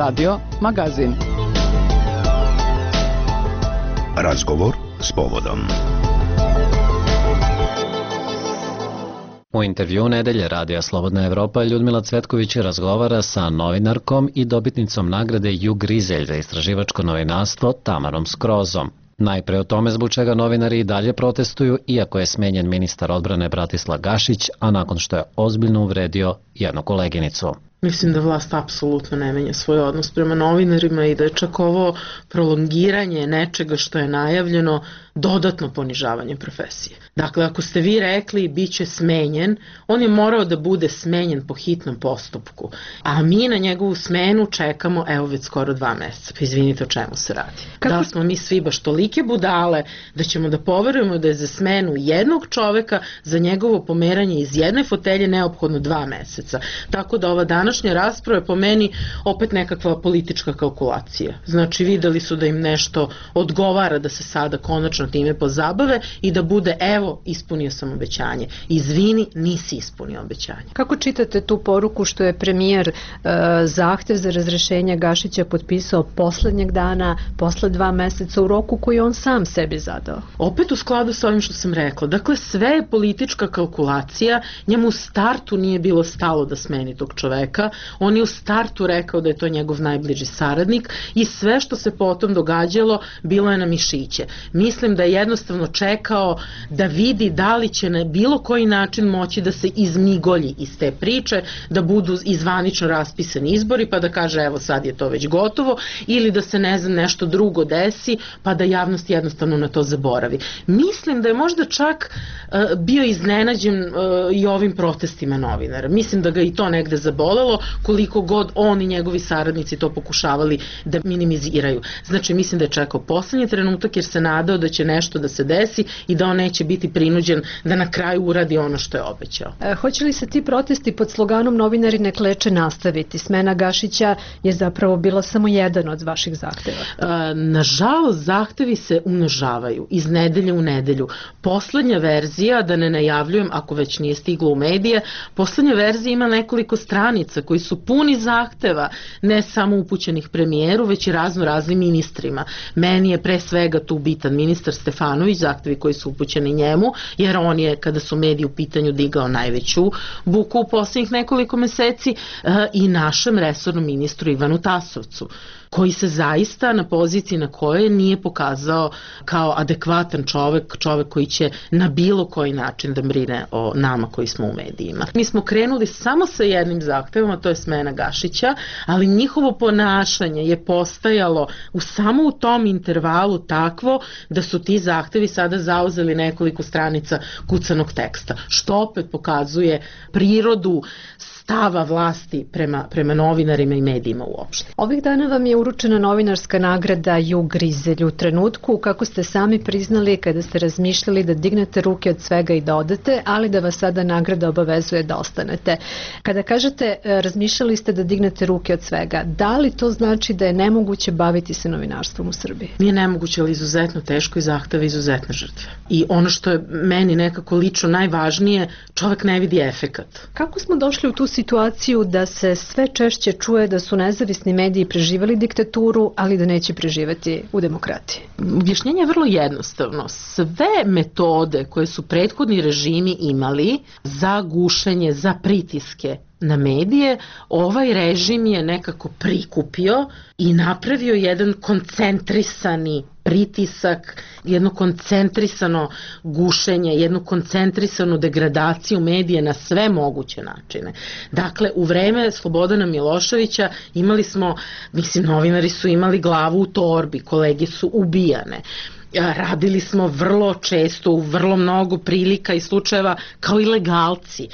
Radio Magazin. Razgovor s povodom. U intervjuu nedelje Radija Slobodna Evropa Ljudmila Cvetković razgovara sa novinarkom i dobitnicom nagrade Ju Grizelj za istraživačko novinarstvo Tamarom Skrozom. Najpre o tome zbog čega novinari i dalje protestuju, iako je smenjen ministar odbrane Bratislav Gašić, a nakon što je ozbiljno uvredio jednu koleginicu. Mislim da vlast apsolutno ne menja svoj odnos prema novinarima i da je čak ovo prolongiranje nečega što je najavljeno dodatno ponižavanje profesije. Dakle, ako ste vi rekli bit će smenjen, on je morao da bude smenjen po hitnom postupku, a mi na njegovu smenu čekamo evo već skoro 2 meseca. Pa izvinite, o čemu se radi? Da smo mi svi baš tolike budale da ćemo da poverujemo da je za smenu jednog čoveka, za njegovo pomeranje iz jedne fotelje neophodno 2 meseca. Tako da ova današnja rasprava je po meni opet nekakva politička kalkulacija. Znači, videli su da im nešto odgovara da se sada konačno time pozabave i da bude evo, ispunio sam obećanje. Izvini, nisi ispunio obećanje. Kako čitate tu poruku što je premijer zahtev za razrešenje Gašića potpisao poslednjeg dana, posle 2 meseca u roku koji on sam sebi zadao? Opet u skladu sa ovim što sam rekla. Dakle, sve je politička kalkulacija. Njemu u startu nije bilo stalo da smeni tog čoveka. On je u startu rekao da je to njegov najbliži saradnik i sve što se potom događalo bilo je na mišiće. Mislim da je jednostavno čekao da vidi da li će na bilo koji način moći da se izmigolji iz te priče, da budu izvanično raspisani izbori pa da kaže evo sad je to već gotovo, ili da se ne znam nešto drugo desi pa da javnost jednostavno na to zaboravi. Mislim da je možda čak bio iznenađen i ovim protestima novinara. Mislim da ga i to negde zabolelo, koliko god on i njegovi saradnici to pokušavali da minimiziraju. Znači, mislim da je čekao poslednji trenutak jer se nadao da će nešto da se desi i da on neće biti prinuđen da na kraju uradi ono što je obećao. Hoće li se ti protesti pod sloganom novinari ne kleče nastaviti? Smena Gašića je zapravo bila samo jedan od vaših zahteva. Nažalost, zahtevi se umnožavaju iz nedelje u nedelju. Poslednja verzija, da ne najavljujem ako već nije stiglo u medije, poslednja verzija ima nekoliko stranica koji su puni zahteva, ne samo upućenih premijeru, već i raznim ministrima. Meni je pre svega tu bitan ministar Stefanović, zahtevi koji su upućeni njemu, jer on je, kada su mediji u pitanju, digao najveću buku u posljednjih nekoliko meseci, i našem resornom ministru Ivanu Tasovcu, koji se zaista na poziciji na kojoj nije pokazao kao adekvatan čovek koji će na bilo koji način da brine o nama koji smo u medijima. Mi smo krenuli samo sa jednim zahtevom, a to je smena Gašića, ali njihovo ponašanje je postajalo samo u tom intervalu takvo da su ti zahtevi sada zauzeli nekoliko stranica kucanog teksta, što opet pokazuje prirodu stava vlasti prema novinarima i medijima uopšte. Ovih dana vam je uručena novinarska nagrada Ju Grizelj u trenutku kako ste sami priznali kada ste razmišljali da dignete ruke od svega i da odete, ali da vas sada nagrada obavezuje da ostanete. Kada kažete razmišljali ste da dignete ruke od svega, da li to znači da je nemoguće baviti se novinarstvom u Srbiji? Nije nemoguće, ali izuzetno teško i zahteva izuzetne žrtve. I ono što je meni nekako lično najvažnije, čovek ne vidi efekat. Kako smo došli u tu situaciju da se sve češće čuje da su nezavisni mediji preživali diktaturu, ali da neće preživeti u demokratiji? Objašnjenje je vrlo jednostavno. Sve metode koje su prethodni režimi imali za gušenje, za pritiske na medije, ovaj režim je nekako prikupio i napravio jedan koncentrisani pritisak, jedno koncentrisano gušenje, jednu koncentrisanu degradaciju medije na sve moguće načine. Dakle, u vreme Slobodana Miloševića imali smo, novinari su imali glavu u torbi, kolege su ubijane. Radili smo vrlo često u vrlo mnogo prilika i slučajeva kao ilegalci.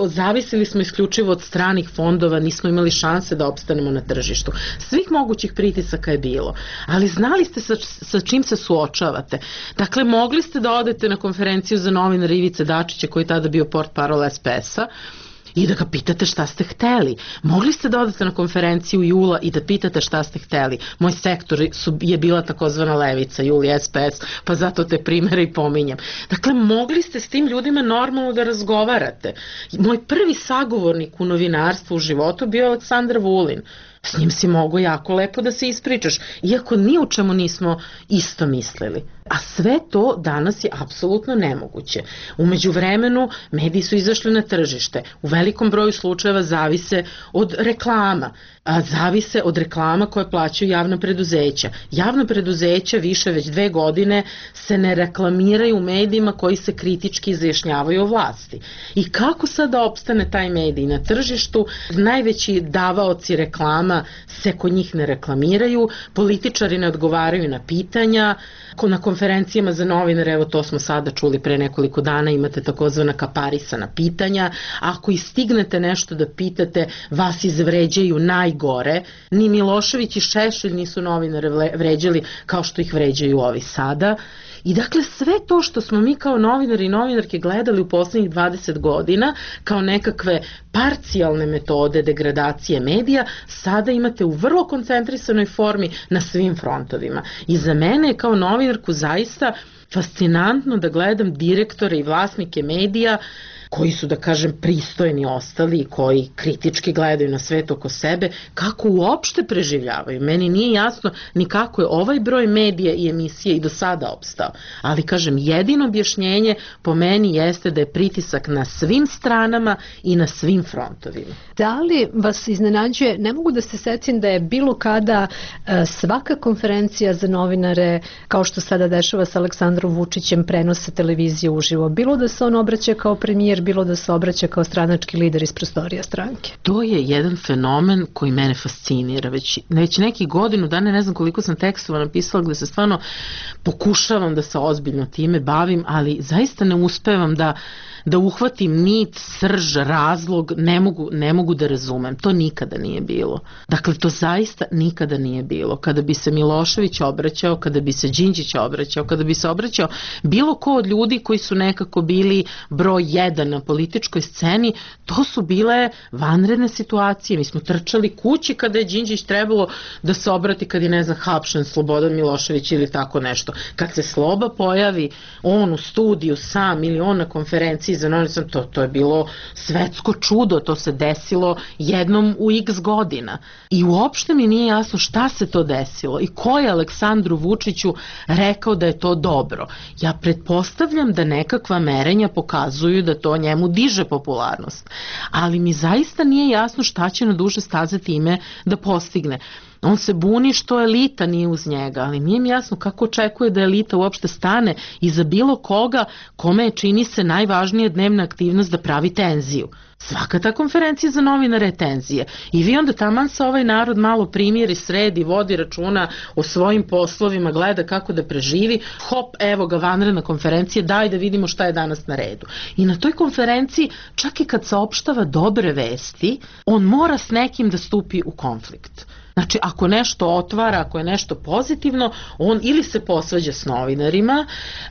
Zavisili smo isključivo od stranih fondova, nismo imali šanse da opstanemo na tržištu. Svih mogućih pritisaka je bilo, ali znali ste sa čim se suočavate. Dakle, mogli ste da odete na konferenciju za novinara Ivice Dačića, koji je tada bio portparol SPS-a, i da ga pitate šta ste hteli. Mogli ste da odete na konferenciju Jula i da pitate šta ste hteli. Moj sektor je bila takozvana levica, Jul i SPS, pa zato te primere i pominjem. Dakle, mogli ste s tim ljudima normalno da razgovarate. Moj prvi sagovornik u novinarstvu u životu bio Aleksandar Vulin. S njim si mogo jako lepo da se ispričaš, iako ni u čemu nismo isto mislili. A sve to danas je apsolutno nemoguće. U međuvremenu mediji su izašli na tržište. U velikom broju slučajeva zavise od reklama. Zavise od reklama koje plaćaju javna preduzeća. Javna preduzeća više već 2 godine se ne reklamiraju u medijima koji se kritički izjašnjavaju o vlasti. I kako sad da opstane taj medij na tržištu? Najveći davaoci reklama se kod njih ne reklamiraju, političari ne odgovaraju na pitanja, na konferencijama za novinare, evo to smo sada čuli pre nekoliko dana, imate takozvana kaparisana pitanja, ako i stignete nešto da pitate, vas izvređaju najgore, ni Milošević i Šešelj nisu novinare vređali kao što ih vređaju ovi sada. I dakle sve to što smo mi kao novinari i novinarke gledali u poslednjih 20 godina kao nekakve parcijalne metode degradacije medija, sada imate u vrlo koncentrisanoj formi na svim frontovima. I za mene je kao novinarku zaista fascinantno da gledam direktore i vlasnike medija koji su, da kažem, pristojni ostali i koji kritički gledaju na svet oko sebe, kako uopšte preživljavaju. Meni nije jasno ni kako je ovaj broj medija i emisije i do sada opstao. Ali, kažem, jedino objašnjenje po meni jeste da je pritisak na svim stranama i na svim frontovima. Da li vas iznenađuje, ne mogu da se setim da je bilo kada svaka konferencija za novinare, kao što sada dešava sa Aleksandrom Vučićem, prenose televizije uživo, bilo da se on obraća kao premijer, bilo da se obraća kao stranački lider iz prostorija stranke. To je jedan fenomen koji mene fascinira. Već nekih godinu dana, ne znam koliko sam tekstova napisala gde se stvarno pokušavam da se ozbiljno time bavim, ali zaista ne uspevam da uhvatim nit, srž, razlog, ne mogu da razumem. To nikada nije bilo. Dakle, to zaista nikada nije bilo. Kada bi se Milošević obraćao, kada bi se Đinđić obraćao, kada bi se obraćao bilo ko od ljudi koji su nekako bili broj 1 na političkoj sceni, to su bile vanredne situacije. Mi smo trčali kući kada je Đinđić trebalo da se obrati kad je, ne znam, hapšen Slobodan Milošević ili tako nešto. Kad se Sloba pojavi, on u studiju sam ili on na konferenciji za novinare, to je bilo svetsko čudo, to se desilo jednom u x godina. I uopšte mi nije jasno šta se to desilo i ko je Aleksandru Vučiću rekao da je to dobro. Ja pretpostavljam da nekakva merenja pokazuju da to njemu diže popularnost. Ali mi zaista nije jasno šta će na duže staze time da postigne. On se buni što elita nije uz njega, ali nije mi jasno kako očekuje da elita uopšte stane iza bilo koga kome čini se najvažnija dnevna aktivnost da pravi tenziju. Svaka ta konferencija za novinare je tenzija. I vi onda taman se ovaj narod malo primjeri, sredi, vodi računa o svojim poslovima, gleda kako da preživi, hop, evo ga vanredna konferencija, daj da vidimo šta je danas na redu. I na toj konferenciji, čak i kad saopštava dobre vesti, on mora s nekim da stupi u konflikt. Znači, ako nešto otvara, ako je nešto pozitivno, on ili se posvađa s novinarima,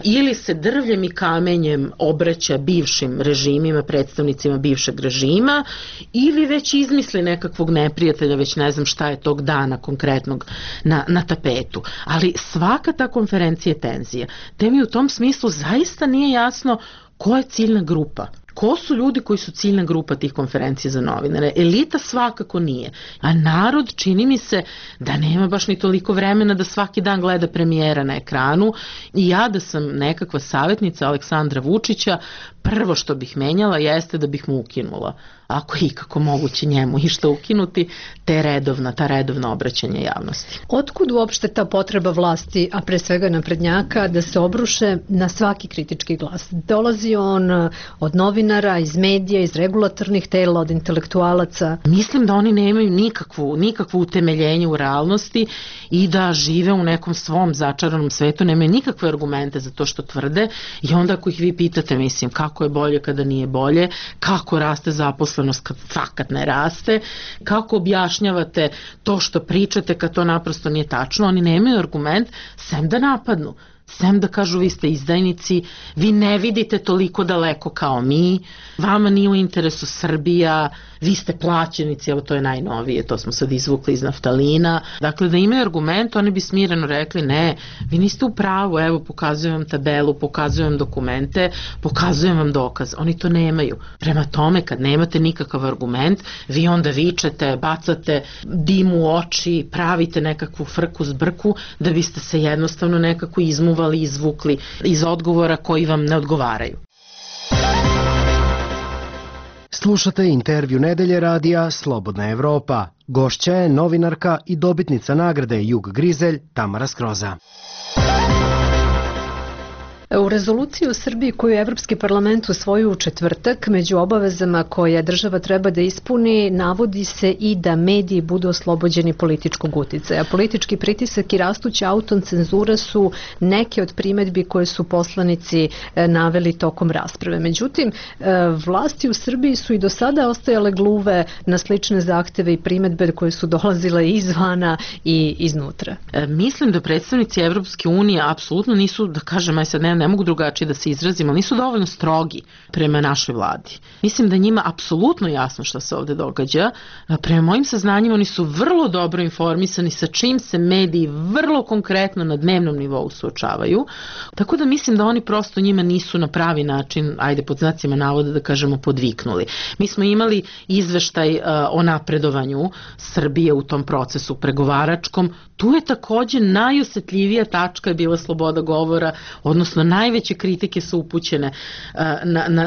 ili se drvljem i kamenjem obraća bivšim režimima, predstavnicima bivšeg režima, ili već izmisli nekakvog neprijatelja, već ne znam šta je tog dana konkretnog na tapetu. Ali svaka ta konferencija je tenzija. Te mi u tom smislu zaista nije jasno ko je ciljna grupa. Ko su ljudi koji su ciljna grupa tih konferencija za novinare? Elita svakako nije. A narod, čini mi se, da nema baš ni toliko vremena da svaki dan gleda premijera na ekranu. I ja da sam nekakva savjetnica Aleksandra Vučića, prvo što bih menjala jeste da bih mu ukinula. Ako je ikako moguće njemu išta ukinuti, ta redovna obraćanja javnosti. Otkud uopšte ta potreba vlasti, a pre svega naprednjaka, da se obruše na svaki kritički glas? Dolazi on od novinara, iz medija, iz regulatornih tela, od intelektualaca? Mislim da oni nemaju nikakvu utemeljenje u realnosti i da žive u nekom svom začaranom svetu, nemaju nikakve argumente za to što tvrde i onda ako ih vi pitate, mislim, kako je bolje kada nije bolje, kako raste zaposlenost kad fakat ne raste, kako objašnjavate to što pričate kad to naprosto nije tačno, oni nemaju argument sem da napadnu. sem da kažu vi ste izdajnici, vi ne vidite toliko daleko kao mi, vama nije u interesu Srbija, vi ste plaćenici, evo to je najnovije, to smo sad izvukli iz naftalina. Dakle, da imaju argument, oni bi smireno rekli ne, vi niste u pravu, evo pokazujem vam tabelu, pokazujem vam dokumente, pokazujem vam dokaz. Oni to nemaju. Prema tome, kad nemate nikakav argument, vi onda vičete, bacate dim u oči, pravite nekakvu frku zbrku da biste se jednostavno nekako izmuvali, izvukli iz odgovora koji vam ne odgovaraju. Slušate intervju nedelje radija Slobodna Evropa. Gošća je novinarka i dobitnica nagrade Jug Grizelj Tamara Skroza. U rezoluciji u Srbiji koju je Evropski parlament usvojio u četvrtak, među obavezama koje država treba da ispuni, navodi se i da mediji budu oslobođeni političkog uticaja. Politički pritisak i rastuća autocenzura su neke od primedbi koje su poslanici naveli tokom rasprave. Međutim, vlasti u Srbiji su i do sada ostajale gluve na slične zahteve i primedbe koje su dolazile izvana i iznutra. Mislim da predstavnici Evropske unije apsolutno nisu, da kažem, aj sad ne mogu drugačije da se izrazim, ali nisu dovoljno strogi prema našoj vladi. Mislim da njima apsolutno jasno šta se ovde događa. Prema mojim saznanjima oni su vrlo dobro informisani sa čim se mediji vrlo konkretno na dnevnom nivou suočavaju. Tako da mislim da oni prosto njima nisu na pravi način, ajde pod znacima navoda da kažemo, podviknuli. Mi smo imali izveštaj o napredovanju Srbije u tom procesu pregovaračkom. Tu je takođe najosetljivija tačka je bila sloboda govora, odnosno najveće kritike su upućene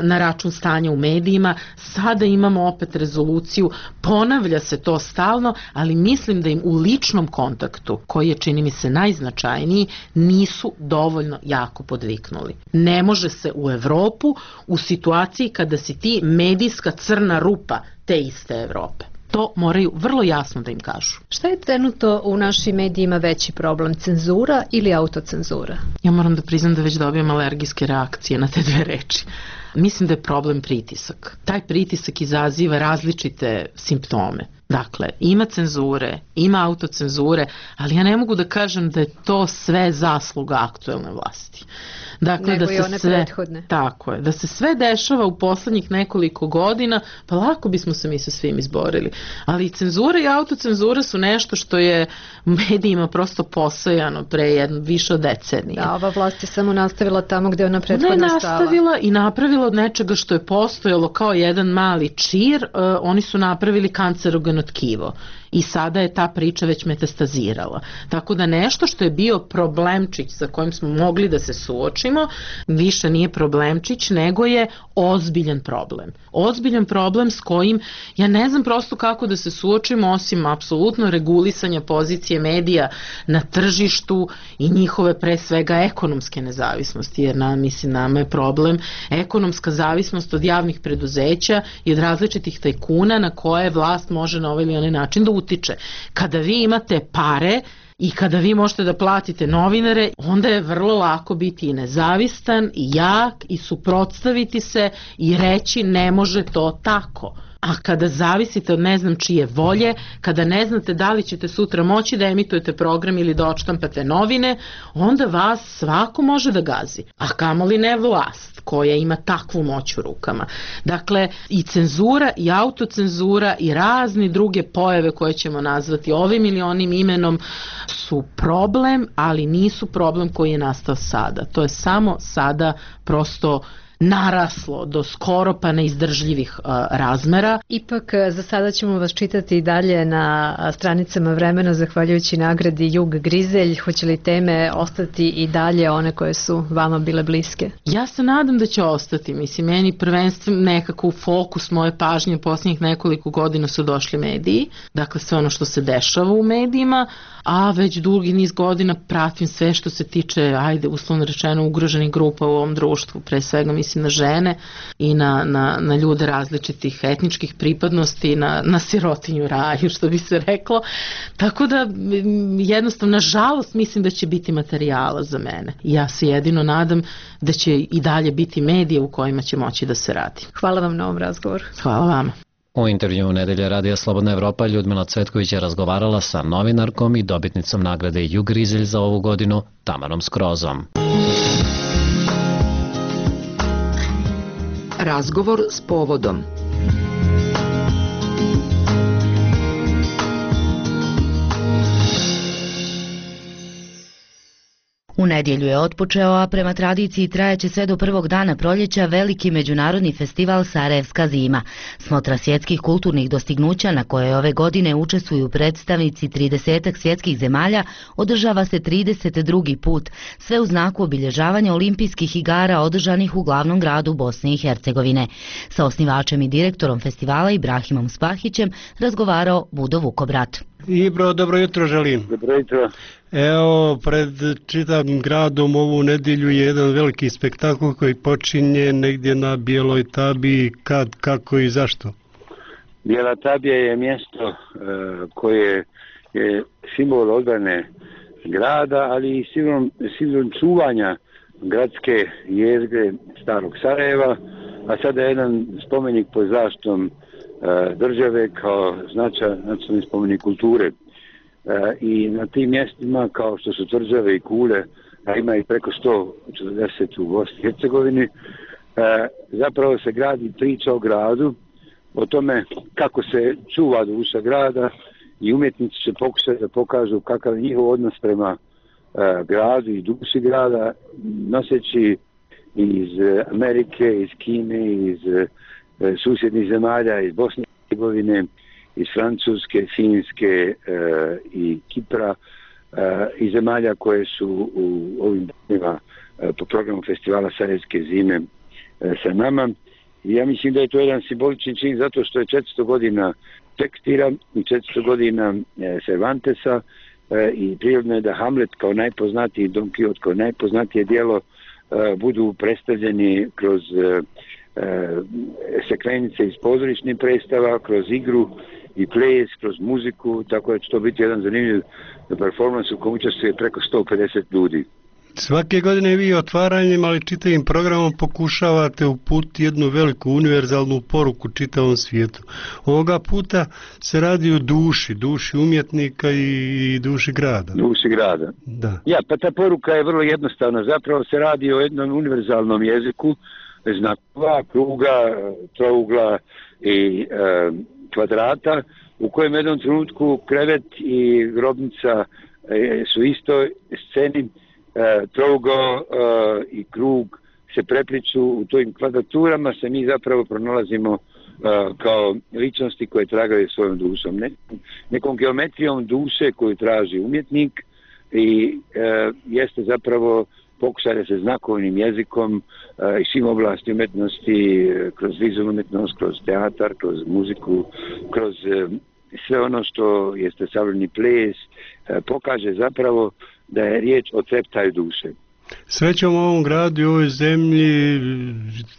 na račun stanja u medijima. Sada imamo opet rezoluciju, ponavlja se to stalno, ali mislim da im u ličnom kontaktu, koji je čini mi se najznačajniji, nisu dovoljno jako podviknuli. Ne može se u Evropu u situaciji kada si ti medijska crna rupa te iste Evrope. To moraju vrlo jasno da im kažu. Šta je trenutno u našim medijima veći problem, cenzura ili autocenzura? Ja moram da priznam da već dobijam alergijske reakcije na te dve reči. Mislim da je problem pritisak. Taj pritisak izaziva različite simptome. Dakle, ima cenzure, ima autocenzure, ali ja ne mogu da kažem da je to sve zasluga aktuelne vlasti. Dakle, nego da i se one sve, prethodne. tako je, da se sve dešava u poslednjih nekoliko godina, pa lako bismo se mi sa svim izborili. Ali cenzura i autocenzura su nešto što je medijima prosto posejano pre više od decenije. Da, ova vlast je samo nastavila tamo gde je ona prethodna stala. Nastavila i napravila od nečega što je postojalo kao jedan mali čir, oni su napravili kancerogeno tkivo. I sada je ta priča već metastazirala. Tako da nešto što je bio problemčić sa kojim smo mogli da se suočimo, više nije problemčić, nego je ozbiljan problem. Ozbiljan problem s kojim ja ne znam prosto kako da se suočimo osim apsolutno regulisanja pozicije medija na tržištu i njihove pre svega ekonomske nezavisnosti, jer nama je problem ekonomska zavisnost od javnih preduzeća i od različitih tajkuna na koje vlast može na ovaj ili onaj način da utiče. Kada vi imate pare i kada vi možete da platite novinare, onda je vrlo lako biti i nezavistan i jak i suprotstaviti se i reći ne može to tako. A kada zavisite od ne znam čije volje, kada ne znate da li ćete sutra moći da emitujete program ili da odštampate novine, onda vas svako može da gazi. A kamoli ne vlast koja ima takvu moć u rukama. Dakle, i cenzura i autocenzura i razni druge pojave koje ćemo nazvati ovim ili onim imenom su problem, ali nisu problem koji je nastao sada. To je samo sada prosto naraslo do skoro pa neizdržljivih razmera. Ipak za sada ćemo vas čitati i dalje na stranicama Vremena zahvaljujući nagradi Jug Grizelj. Hoće li teme ostati i dalje one koje su vama bile bliske? Ja se nadam da će ostati. Mislim, meni prvenstveno nekako u fokus moje pažnje posljednjih nekoliko godina su došli mediji. Dakle, sve ono što se dešava u medijima, a već dugi niz godina pratim sve što se tiče, ajde, uslovno rečeno, ugroženih grupa u ovom društvu, pre svega mislim na žene i na ljude različitih etničkih pripadnosti, na sirotinju raju, što bi se reklo. Tako da, jednostavno, nažalost, mislim da će biti materijala za mene. Ja se jedino nadam da će i dalje biti medije u kojima će moći da se radi. Hvala vam na ovom razgovoru. Hvala vama. U intervju Nedelje radija Slobodna Evropa Ljudmila Cvetković je razgovarala sa novinarkom i dobitnicom nagrade Jug Grizelj za ovu godinu Tamarom Skrozom. Razgovor s povodom. U nedjelju je otpočeo, a prema tradiciji trajeće sve do prvog dana proljeća veliki međunarodni festival Sarajevska zima. Smotra svjetskih kulturnih dostignuća na kojoj ove godine učestvuju predstavnici 30 svjetskih zemalja održava se 32. put, sve u znaku obilježavanja olimpijskih igara održanih u glavnom gradu Bosne i Hercegovine. Sa osnivačem i direktorom festivala Ibrahimom Spahićem razgovarao Budo Vukobrat. Ibro, dobro jutro želim. Dobro jutro. Evo, pred čitavim gradom ovu nedjelju je jedan veliki spektakl koji počinje negdje na Bijeloj Tabiji. Kad, kako i zašto? Bijela Tabija je mjesto koje je simbol odbrane grada, ali i simbol čuvanja gradske jezgre starog Sarajeva, a sada je jedan spomenik pod zaštitom države kao nacionalni spomenik kulture. I na tim mjestima kao što su tvrđave i kule, a ima i preko 140 u Bosni i Hercegovini, zapravo se gradi priča o gradu, o tome kako se čuva duša grada i umjetnici će pokušati da pokažu kakav je njihov odnos prema gradu i duši grada, noseći iz Amerike, iz Kine, iz susjednih zemalja, iz Bosne i Hercegovine, iz Francuske, Finske i Kipra i zemalja koje su u ovim danima po programu festivala Sarajevske zime sa nama. I ja mislim da je to jedan simbolični čin zato što je 400 godina Šekspira i 400 godina Cervantesa i prirodno je da Hamlet kao najpoznatiji, Don Quixote kao najpoznatije dijelo budu predstavljeni kroz sekvenice iz pozorišnih predstava, kroz igru i ples, kroz muziku, tako da će to biti jedan zanimljiv performans u kojem učestvuje preko 150 ljudi. Svake godine vi otvaranjem, ali čitavim programom pokušavate uputiti jednu veliku univerzalnu poruku čitavom svijetu. Ovoga puta se radi o duši umjetnika i duši grada. Duši grada. Da. Ja, pa ta poruka je vrlo jednostavna. Zapravo se radi o jednom univerzalnom jeziku, znakova, kruga, trougla i kvadrata, u kojem u jednom trenutku krevet i grobnica su istoj sceni, trougao i krug se prepliču u tojim kvadraturama, se mi zapravo pronalazimo kao ličnosti koje tragaju svojom dušom. Nekom geometrijom duše koju traži umjetnik i jeste zapravo pokušaj da se znakovnim jezikom i svim oblasti umjetnosti, kroz vizualnu umjetnost, kroz teatar, kroz muziku, kroz sve ono što jeste savremeni ples, pokaže zapravo da je riječ o treptaju duše. Srećom u ovom gradu i ovoj zemlji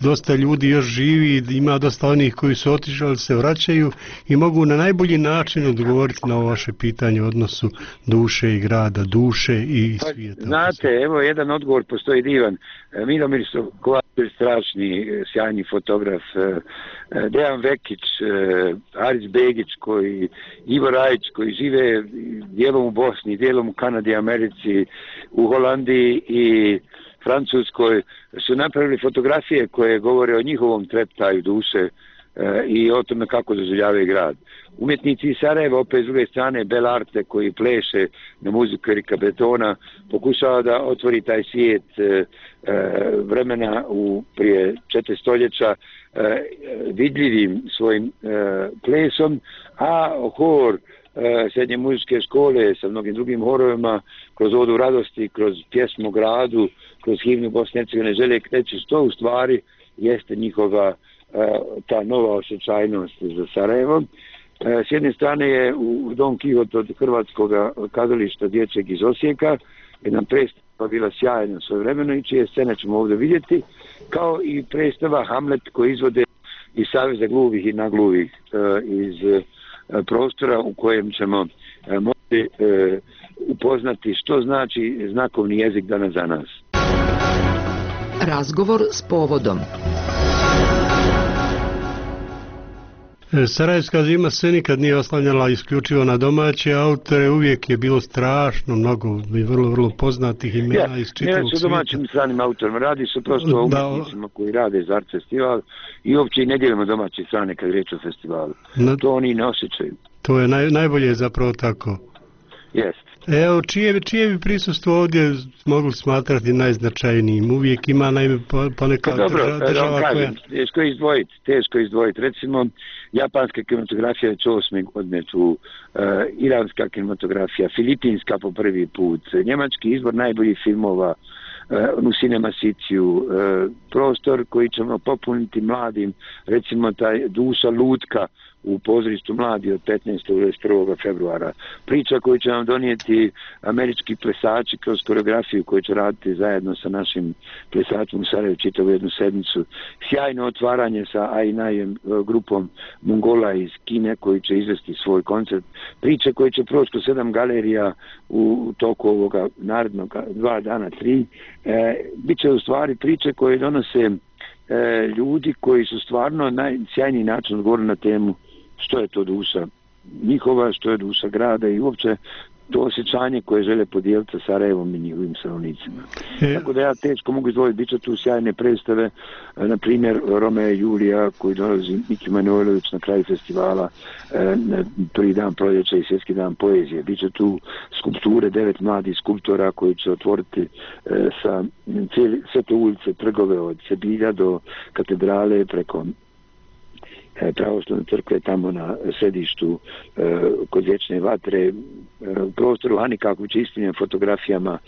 dosta ljudi još živi, ima dosta onih koji su otišli, ali se vraćaju i mogu na najbolji način odgovoriti na ovo vaše pitanje o odnosu duše i grada, duše i svijeta. Znate, evo jedan odgovor postoji divan. Milomir Kovačević, strašni, sjajni fotograf, Dejan Vekić, Aris Begić, Ivo Rajić, koji žive dijelom u Bosni, dijelom u Kanadi, Americi, u Holandiji i Francuskoj, su napravili fotografije koje govore o njihovom treptaju duše i o tome kako doživljavaju grad. Umjetnici iz Sarajeva, opet s druge strane Belarte, koji pleše na muziku Erika Betona, pokušava da otvori taj svijet vremena prije 4 stoljeća vidljivim svojim plesom, a hor srednje muzičke škole sa mnogim drugim horovima, kroz Odu radosti, kroz pjesmu gradu, kroz himnu Bosne i Hercegovine žele reći što u stvari jeste njihova ta nova osjećajnost za Sarajevo. S jedne strane je u Don Quixote od Hrvatskog kazališta dječjeg iz Osijeka, jedna predstava bila sjajna svojevremeno i čije scene ćemo ovdje vidjeti, kao i predstava Hamlet koji izvode iz Saveza gluvih i nagluvih iz prostora u kojem ćemo moći upoznati što znači znakovni jezik danas za nas. Razgovor s povodom. Sarajevska zima se nikad nije oslanjala isključivo na domaće autore, uvijek je bilo strašno mnogo i vrlo poznatih imena iz čitavog svijeta. Ne su domaćim i stranim autorima, radi se prosto o umjetnicima koji rade za Art Festival i uopće i ne dijelimo domaće strane kad riječ o festivalu. To oni ne osjećaju. To je najbolje zapravo tako. Jest. Evo, čije bi prisustvo ovdje mogli smatrati najznačajnijim? Uvijek ima poneka država koja... Teško izdvojiti. Recimo, japanska kinematografija je 8. godine tu, iranska kinematografija, filipinska po prvi put, njemački izbor najboljih filmova u Cinema City-u, prostor koji ćemo popuniti mladim, recimo taj Duša lutka u pozorištu mladi od 15. do 21. februara. Priča koju će nam donijeti američki plesači kroz koreografiju koju će raditi zajedno sa našim plesačom u Sarajevu čitavu jednu sedmicu. Sjajno otvaranje sa Ainajem grupom Mongola iz Kine koji će izvesti svoj koncert. Priče koje će proći kroz 7 galerija u toku ovoga narednog 2 dana, 3. Biće u stvari priče koje donose ljudi koji su stvarno najsjajniji način odgovorili na temu što je to duša njihova, što je duša grada i uopće to osjećanje koje žele podijeliti sa Sarajevom i njihovim stanovnicima. Tako da ja teško mogu izdvojiti, bit će tu sjajne predstave, na primjer Romeo i Julija koji dolazi Miki Manojlović na kraju festivala, prvi dan proljeća i svjetski dan poezije. Biće tu skulpture 9 mladih skulptora koji će otvoriti sa sve te ulice, trgove od Sebilja do katedrale preko pravoslavne crkve tamo na središtu kod Vječne vatre, prostor Hanikaković ispunjen fotografijama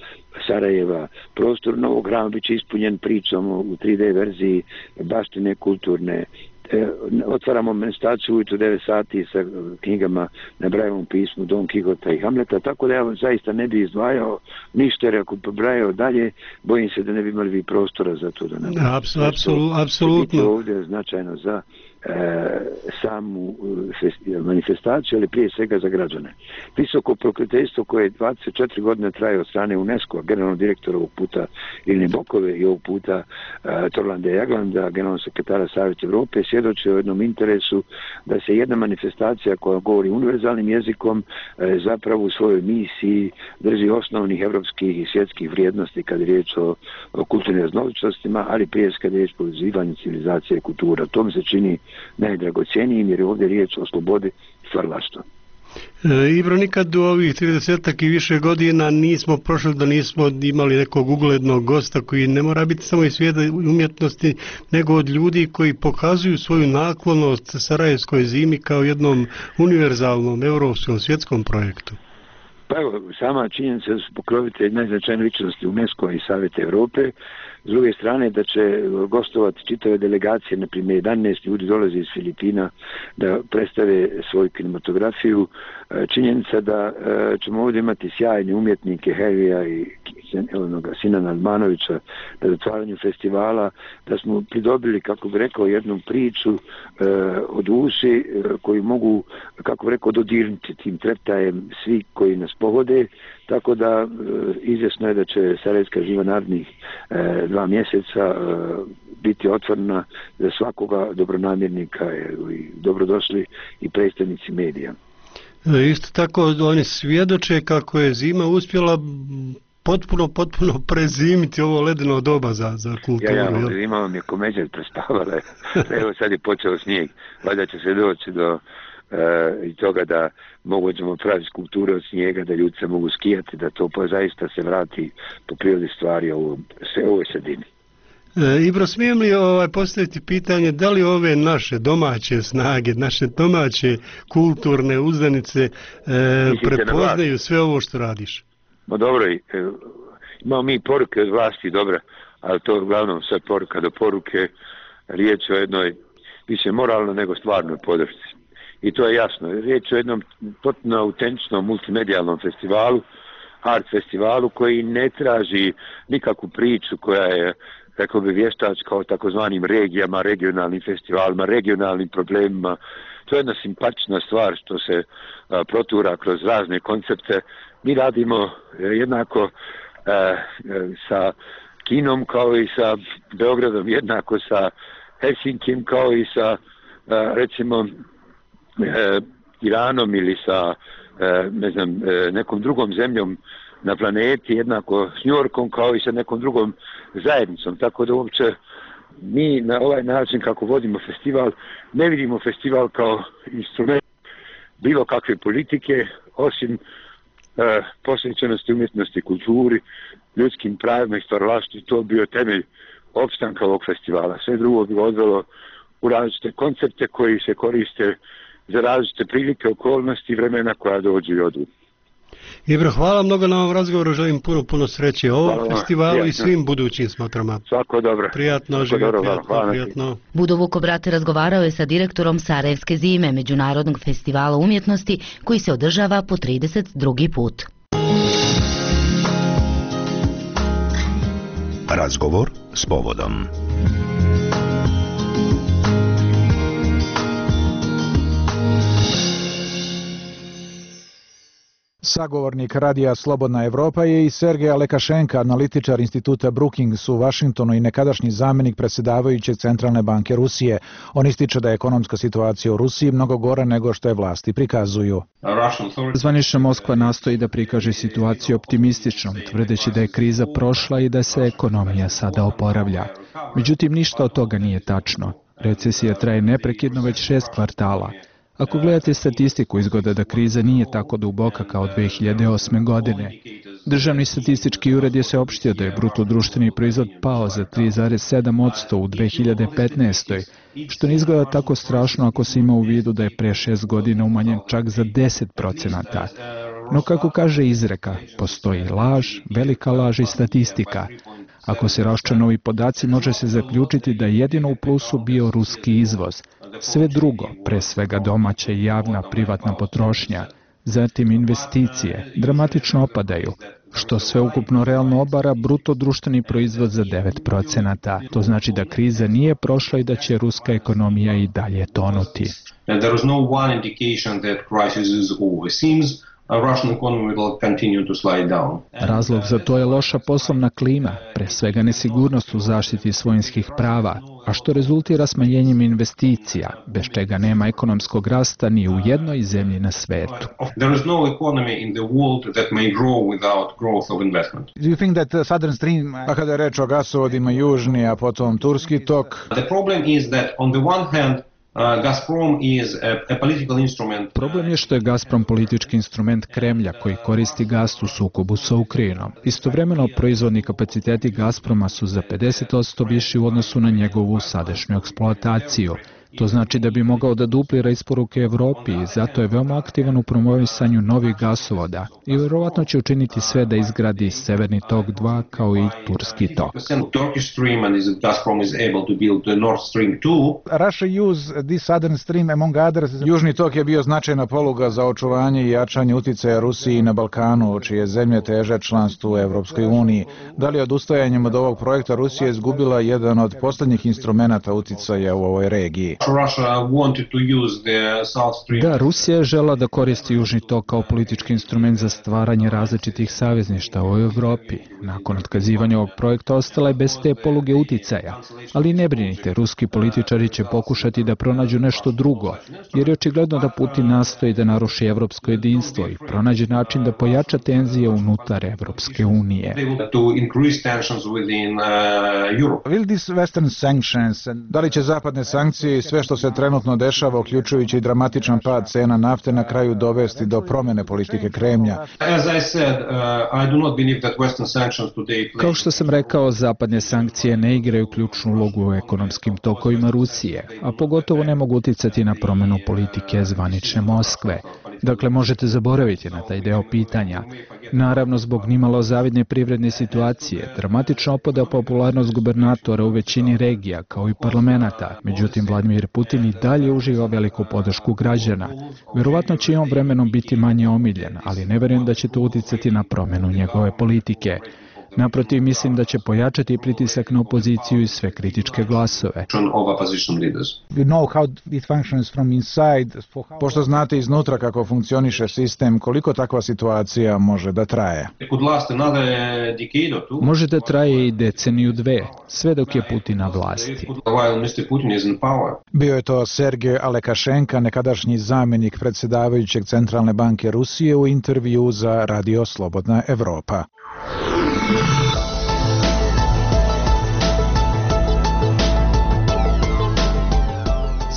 Sarajeva, prostor Novog grama bit će ispunjen pričom u 3D verziji baštine kulturne. Otvaramo manifestaciju ujutro 9 sati sa knjigama na Brajevom pismu Don Kihota i Hamleta, tako da ja zaista ne bi izdvajao ništa, jer ako pobrajao dalje, bojim se da ne bi imali vi prostora za to da nam apsolutno ovdje značajno za samu manifestaciju, ali prije svega za građane. Visoko pokroviteljstvo koje 24 godine traje od strane UNESCO-a, generalnog direktora ovog puta Iline Bokove i ovog puta Torlanda Jaglanda, generalnog sekretara Savjeta Evrope, svjedoči o jednom interesu da se jedna manifestacija koja govori univerzalnim jezikom zapravo u svojoj misiji drži osnovnih evropskih i svjetskih vrijednosti kad je riječ o kulturnim raznolikoštima, ali prije kad je riječ o povezivanju civilizacije i kultura. To mi se čini najdragocjenijim jer je ovdje riječ o slobodi stvaralaštva. Ibro, nikad u ovih 30 i više godina nismo prošli da nismo imali nekog uglednog gosta koji ne mora biti samo iz svijeta umjetnosti, nego od ljudi koji pokazuju svoju naklonost Sarajevskoj zimi kao jednom univerzalnom europskom svjetskom projektu. Pa evo, sama činjenica da su pokrovitelji najznačajnije ličnosti UNESCO i Savjeta Evrope, s druge strane da će gostovati čitave delegacije, na primjer 11 ljudi dolazi iz Filipina da predstave svoju kinematografiju, činjenica da ćemo ovdje imati sjajne umjetnike Harryja i Sinana Almanovića na otvaranju festivala, da smo pridobili, kako bi rekao, jednu priču o duši koju mogu, kako bi rekao, dodirnuti tim treptajem svi koji nas pogode, tako da izvjesno je da će Sarajevska živa narednih 2 mjeseca biti otvorena za svakoga dobronamjernika i dobrodošli i predstavnici medija. Isto tako oni svjedoče kako je zima uspjela potpuno prezimiti ovo ledeno doba za kulturu. Zima vam je komeđer prespavala. Evo sad je počeo snijeg. Valjda će se doći do i toga da mogućemo praviti skulpture od snijega, da ljudi se mogu skijati, da to zaista se vrati po prirodi stvari ovoj sredini. Ibro, smijem li postaviti pitanje da li ove naše domaće snage, naše domaće kulturne uzdanice prepoznaju sve ovo što radiš? Ma dobro, imamo mi poruke od vlasti, dobro, ali to uglavnom sve poruka do poruke, riječ o jednoj više moralno nego stvarnoj podršci. I to je jasno, riječ o jednom potpuno autentičnom multimedijalnom festivalu, art festivalu koji ne traži nikakvu priču koja je, rekao bi, vještačka o takozvanim regijama, regionalnim festivalima, regionalnim problemima. To je jedna simpatična stvar što se protura kroz razne koncepte. Mi radimo jednako sa Kinom kao i sa Beogradom, jednako sa Helsinkim kao i sa recimo Iranom ili sa nekom drugom zemljom na planeti, jednako s Njujorkom kao i sa nekom drugom zajednicom. Tako da uopće mi na ovaj način kako vodimo festival, ne vidimo festival kao instrument bilo kakve politike, osim posvećenosti umjetnosti, kulturi, ljudskim pravima i stvaralaštvu. To bio temelj opstanka ovog festivala. Sve drugo bi odvelo u različite koncepte koji se koriste za različite prilike, okolnosti i vremena koja dođu i odu. Ibro, hvala mnogo na ovom razgovoru, želim puno sreće ovom festivalu i svim budućim smotrama. Svako dobro. Prijatno, prijatno. Budo Vukobrate razgovarao je sa direktorom Sarajevske zime, Međunarodnog festivala umjetnosti, koji se održava po 32. put. Razgovor s povodom. Sagovornik radija Slobodna Evropa je i Sergej Lekašenka, analitičar instituta Brookings u Vašingtonu i nekadašnji zamjenik predsjedavajuće Centralne banke Rusije. On ističe da je ekonomska situacija u Rusiji mnogo gora nego što je vlasti prikazuju. Zvanična Moskva nastoji da prikaže situaciju optimističnom, tvrdeći da je kriza prošla i da se ekonomija sada oporavlja. Međutim, ništa od toga nije tačno. Recesija traje neprekidno već 6 kvartala. Ako gledate statistiku, izgleda da kriza nije tako duboka kao 2008. godine. Državni statistički ured je saopštio da je bruto društveni proizvod pao za 3,7% u 2015. što ne izgleda tako strašno ako se ima u vidu da je pre 6 godina umanjen čak za 10%. No kako kaže izreka, postoji laž, velika laž i statistika. Ako se raščlane ovi podaci, može se zaključiti da je jedino u plusu bio ruski izvoz. Sve drugo, pre svega domaća i javna privatna potrošnja, zatim investicije, dramatično opadaju, što sveukupno realno obara bruto društveni proizvod za 9%. To znači da kriza nije prošla i da će ruska ekonomija i dalje tonuti. Razlog za to je loša poslovna klima, pre svega nesigurnost u zaštiti svojinskih prava, a što rezultira smanjenjem investicija, bez čega nema ekonomskog rasta ni u jednoj zemlji na svetu. Do you think that Southern Stream, a kada je reč o gasovodima južni, a potom turski tok? Problem je što je Gazprom politički instrument Kremlja koji koristi gas u sukobu sa Ukrajinom. Istovremeno, proizvodni kapaciteti Gazproma su za 50% viši u odnosu na njegovu sadašnju eksploataciju. To znači da bi mogao da duplira isporuke Evropi i zato je veoma aktivan u promovisanju novih gasovoda i vjerovatno će učiniti sve da izgradi Severni tok 2 kao i Turski tok. Russia use this Southern Stream among others. Južni tok je bio značajna poluga za očuvanje i jačanje uticaja Rusiji na Balkanu, čije zemlje teže članstvu u Evropskoj uniji. Da li odustajanjem od ovog projekta Rusija izgubila jedan od poslednjih instrumenata uticaja u ovoj regiji? Da, Rusija je žela da koristi Južni tok kao politički instrument za stvaranje različitih savezništava u Evropi. Nakon otkazivanja ovog projekta ostala je bez te poluge uticaja. Ali ne brinite, ruski političari će pokušati da pronađu nešto drugo, jer je očigledno da Putin nastoji da naruši evropsko jedinstvo i pronađe način da pojača tenzije unutar Evropske unije. Will these Western sanctions, da li će zapadne sankcije i sve što se trenutno dešava, uključujući i dramatičan pad cena nafte, na kraju dovesti do promjene politike Kremlja? Kao što sam rekao, zapadne sankcije ne igraju ključnu ulogu u ekonomskim tokovima Rusije, a pogotovo ne mogu uticati na promjenu politike zvanične Moskve. Dakle, možete zaboraviti na taj deo pitanja. Naravno, zbog nimalo zavidne privredne situacije, dramatično opada popularnost gubernatora u većini regija, kao i parlamenta. Međutim, Vladimir Putin i dalje uživa veliku podršku građana. Vjerovatno će i on vremenom biti manje omiljen, ali ne vjerujem da će to uticati na promjenu njegove politike. Naprotiv, mislim da će pojačati pritisak na opoziciju i sve kritičke glasove. Pošto znate iznutra kako funkcioniše sistem, koliko takva situacija može da traje? Može da traje i deceniju dve, sve dok je Putin na vlasti. Bio je to Sergej Alekašenka, nekadašnji zamjenik predsjedavajućeg Centralne banke Rusije u intervju za Radio Slobodna Evropa.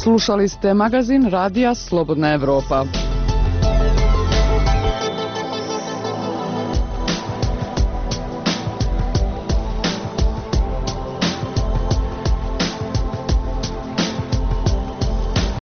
Slušali ste magazin Radija Slobodna Evropa.